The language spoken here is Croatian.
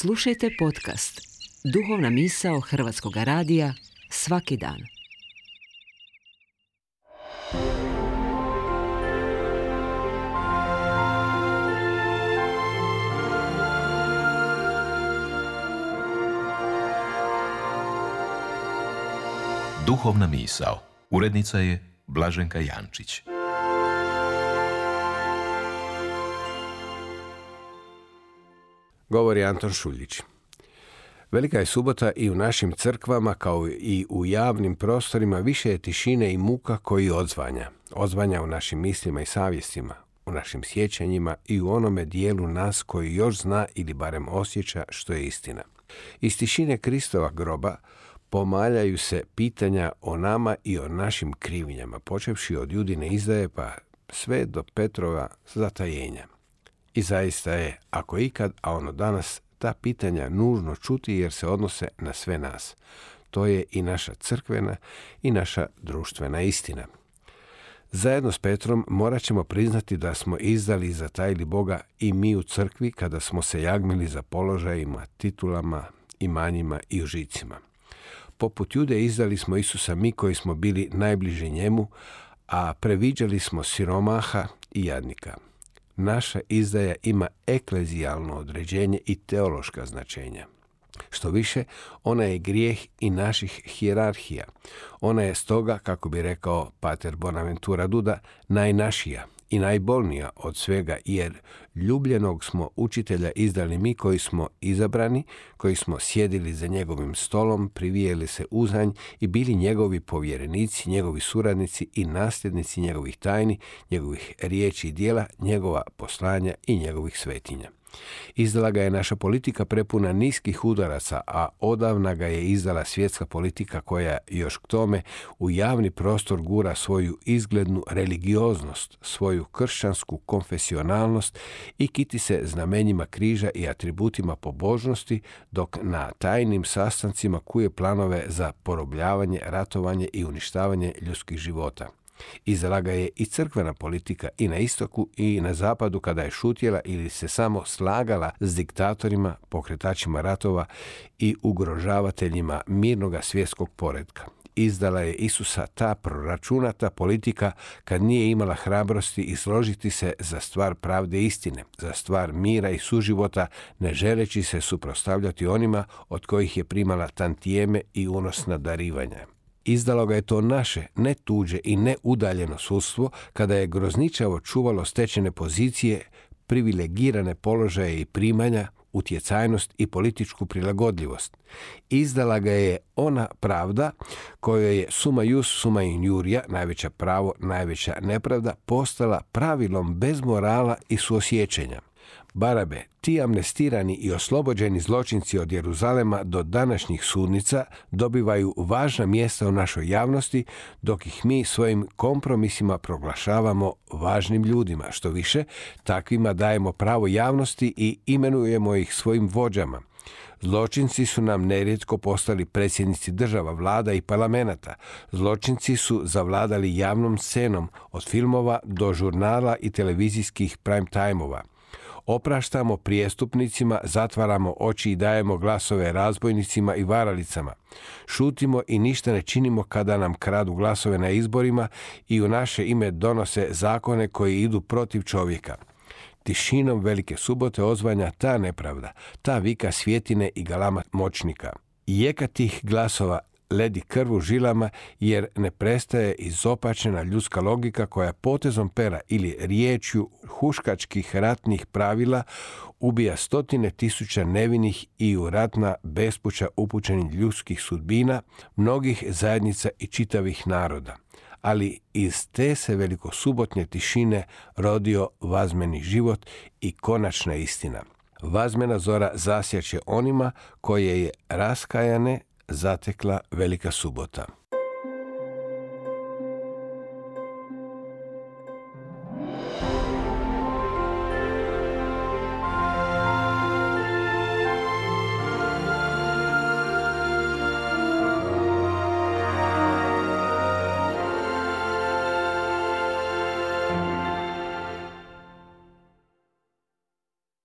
Slušajte podcast Duhovna misao Hrvatskog radija svaki dan. Duhovna misao. Urednica je Blaženka Jančić. Govori Anton Šuljić. Velika je subota i u našim crkvama kao i u javnim prostorima više je tišine i muka koji odzvanja. Odzvanja u našim mislima i savjestima, u našim sjećanjima i u onome dijelu nas koji još zna ili barem osjeća što je istina. Iz tišine Kristova groba pomaljaju se pitanja o nama i o našim krivnjama, počevši od Judine izdaje pa sve do Petrova zatajenja. I zaista je, ako ikad, a ono danas, ta pitanja nužno čuti jer se odnose na sve nas. To je i naša crkvena i naša društvena istina. Zajedno s Petrom morat ćemo priznati da smo izdali i zatajili Boga i mi u crkvi kada smo se jagmili za položajima, titulama, imanjima i užicima. Poput Jude izdali smo Isusa mi koji smo bili najbliži njemu, a previđali smo siromaha i jadnika. Naša izdaja ima eklezijalno određenje i teološka značenja. Što više, ona je grijeh i naših hijerarhija. Ona je stoga, kako bi rekao pater Bonaventura Duda, najnašija i najbolnija od svega, jer ljubljenog smo učitelja izdali mi koji smo izabrani, koji smo sjedili za njegovim stolom, privijeli se uzanj i bili njegovi povjerenici, njegovi suradnici i nasljednici njegovih tajni, njegovih riječi i dijela, njegova poslanja i njegovih svetinja. Izdala ga je naša politika prepuna niskih udaraca, a odavna ga je izdala svjetska politika koja još k tome u javni prostor gura svoju izglednu religioznost, svoju kršćansku konfesionalnost i kiti se znamenjima križa i atributima pobožnosti, dok na tajnim sastancima kuje planove za porobljavanje, ratovanje i uništavanje ljudskih života. Izdala ga je i crkvena politika i na istoku i na zapadu kada je šutjela ili se samo slagala s diktatorima, pokretačima ratova i ugrožavateljima mirnoga svjetskog poretka. Izdala je Isusa ta proračunata politika kad nije imala hrabrosti izložiti se za stvar pravde i istine, za stvar mira i suživota, ne želeći se suprotstavljati onima od kojih je primala tantijeme i unosna darivanja. Izdalo ga je to naše, ne tuđe i ne udaljeno sudstvo, kada je grozničavo čuvalo stečene pozicije, privilegirane položaje i primanja, utjecajnost i političku prilagodljivost. Izdala ga je ona pravda kojoj je summa ius summa injuria, najveća pravo, najveća nepravda, postala pravilom bez morala i suosjećanja. Barabe, ti amnestirani i oslobođeni zločinci od Jeruzalema do današnjih sudnica dobivaju važna mjesta u našoj javnosti, dok ih mi svojim kompromisima proglašavamo važnim ljudima. Što više, takvima dajemo pravo javnosti i imenujemo ih svojim vođama. Zločinci su nam nerijetko postali predsjednici država, vlada i parlamenata. Zločinci su zavladali javnom scenom, od filmova do žurnala i televizijskih prime time-ova. Opraštamo prijestupnicima, zatvaramo oči i dajemo glasove razbojnicima i varalicama. Šutimo i ništa ne činimo kada nam kradu glasove na izborima i u naše ime donose zakone koji idu protiv čovjeka. Tišinom Velike subote odzvanja ta nepravda, ta vika svjetine i galama moćnika. Jeka tih glasova ledi krv u žilama jer ne prestaje izopačena ljudska logika koja potezom pera ili riječju huškačkih ratnih pravila ubija stotine tisuća nevinih i u ratna bespuća upućenih ljudskih sudbina, mnogih zajednica i čitavih naroda. Ali iz te se velikosubotnje tišine rodio vazmeni život i konačna istina. Vazmena zora zasjaće onima koje je raskajane zatekla Velika subota.